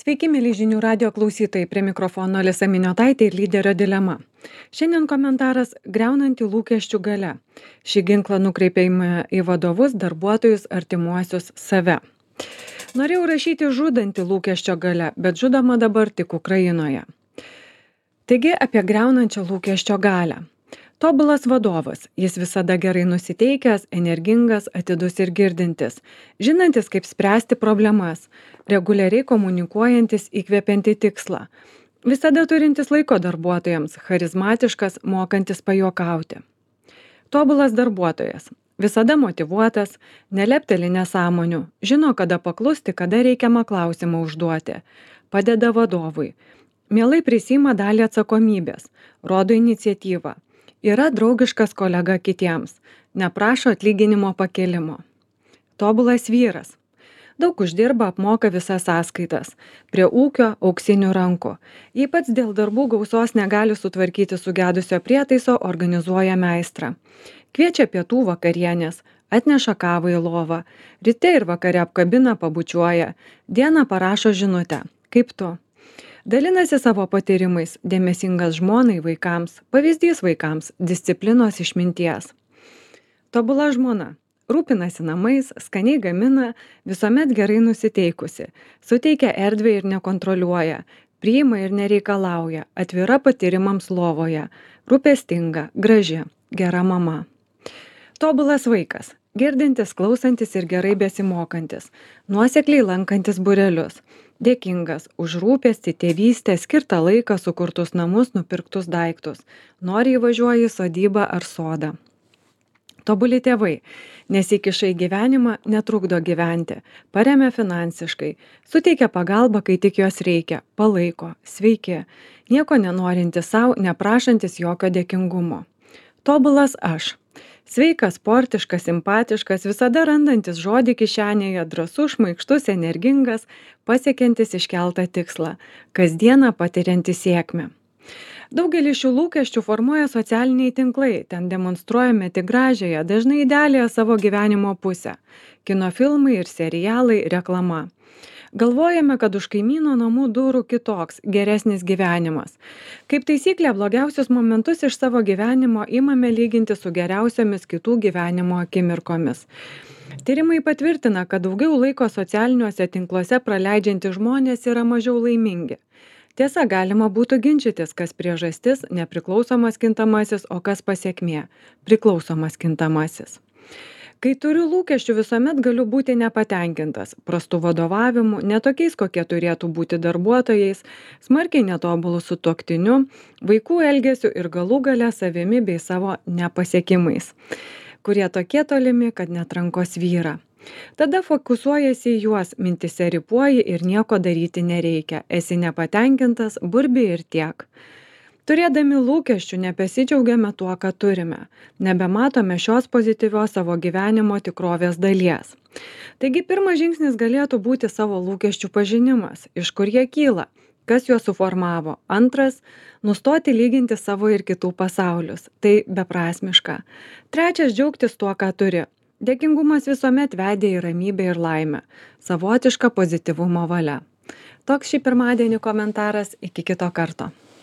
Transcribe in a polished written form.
Sveiki, mėly žinių radio klausytojai, prie mikrofono Alisa Miniotaitė ir lyderio dilema. Šiandien komentaras griaunanti lūkesčių galia. Šį ginklą nukreipėme į vadovus, darbuotojus, artimuosius, save. Norėjau rašyti žudantį lūkesčio galia, bet žudoma dabar tik Ukrainoje. Taigi apie griaunančią lūkesčio galią. Tobulas vadovas, jis visada gerai nusiteikęs, energingas, atidus ir girdintis, žinantis, kaip spręsti problemas, reguliariai komunikuojantis įkvepiantį tikslą, visada turintis laiko darbuotojams, charizmatiškas, mokantis pajuokauti. Tobulas darbuotojas, visada motyvuotas, nelepteli nesąmonių, žino, kada paklusti, kada reikiamą klausimą užduoti, padeda vadovui, mielai prisiima dalį atsakomybės, rodo iniciatyvą. Yra draugiškas kolega kitiems, neprašo atlyginimo pakėlimo. Tobulas vyras. Daug uždirba, apmoka visas sąskaitas. Prie ūkio auksinių rankų. Jei pats dėl darbų gausos negali sutvarkyti sugedusio prietaiso, organizuoja meistrą. Kviečia pietų vakarienės, atneša kavą į lovą. Ryte ir vakare apkabina, pabučiuoja. Dieną parašo žinutę. Kaip tu? Dalinasi savo patyrimais, dėmesingas žmonai, vaikams, pavyzdys vaikams, disciplinos išminties. Tobula žmona. Rūpinasi namais, skaniai gamina, visuomet gerai nusiteikusi, suteikia erdvę ir nekontroliuoja, priima ir nereikalauja, atvira patyrimams lovoje, rūpestinga, graži, gera mama. Tobulas vaikas. Girdintis, klausantis ir gerai besimokantis, nuosekliai lankantis būrelius, dėkingas už rūpestį, tėvystę, skirtą laiką, sukurtus namus, nupirktus daiktus, noriai važiuoja į sodybą ar sodą. Tobuli tėvai, nesikiša į gyvenimą, netrukdo gyventi, paremia finansiškai, suteikia pagalbą, kai tik jos reikia, palaiko, sveiki, nieko nenorintis savo, neprašantis jokio dėkingumo. Tobulas aš. Sveikas, sportiškas, simpatiškas, visada randantis žodį kišenėje, drąsus, šmaikštus, energingas, pasiekiantis iškeltą tikslą, kasdieną patiriantis sėkmę. Daugelį šių lūkesčių formuoja socialiniai tinklai, ten demonstruojame tik gražiąją, dažnai idealiąją savo gyvenimo pusę. Kino filmai ir serialai, reklama. Galvojame, kad už kaimyno namų durų kitoks, geresnis gyvenimas. Kaip taisyklė, blogiausius momentus iš savo gyvenimo imame lyginti su geriausiomis kitų gyvenimo akimirkomis. Tyrimai patvirtina, kad daugiau laiko socialiniuose tinkluose praleidžiantys žmonės yra mažiau laimingi. Tiesa, galima būtų ginčytis, kas priežastis, nepriklausomas kintamasis, o kas pasekmė, priklausomas kintamasis. Kai turiu lūkesčių, visuomet galiu būti nepatenkintas, prastų vadovavimu, netokiais, kokie turėtų būti darbuotojais, smarkiai netobulų sutuoktiniu, vaikų elgesiu ir galų gale savimi bei savo nepasiekimais, kurie tokie tolimi, kad net rankos vyra. Tada fokusuojasi į juos, mintise ripuoji ir nieko daryti nereikia, esi nepatenkintas, burbi ir tiek. Turėdami lūkesčių nebesidžiaugiame tuo, ką turime, nebematome šios pozityvios savo gyvenimo tikrovės dalies. Taigi pirmas žingsnis galėtų būti savo lūkesčių pažinimas, iš kur jie kyla, kas juos suformavo. Antras, nustoti lyginti savo ir kitų pasaulius, tai beprasmiška. Trečias, džiaugtis tuo, ką turi. Dėkingumas visuomet vedė į ramybę ir laimę, savotiška pozityvumo valia. Toks šį pirmadienį komentaras, iki kito karto.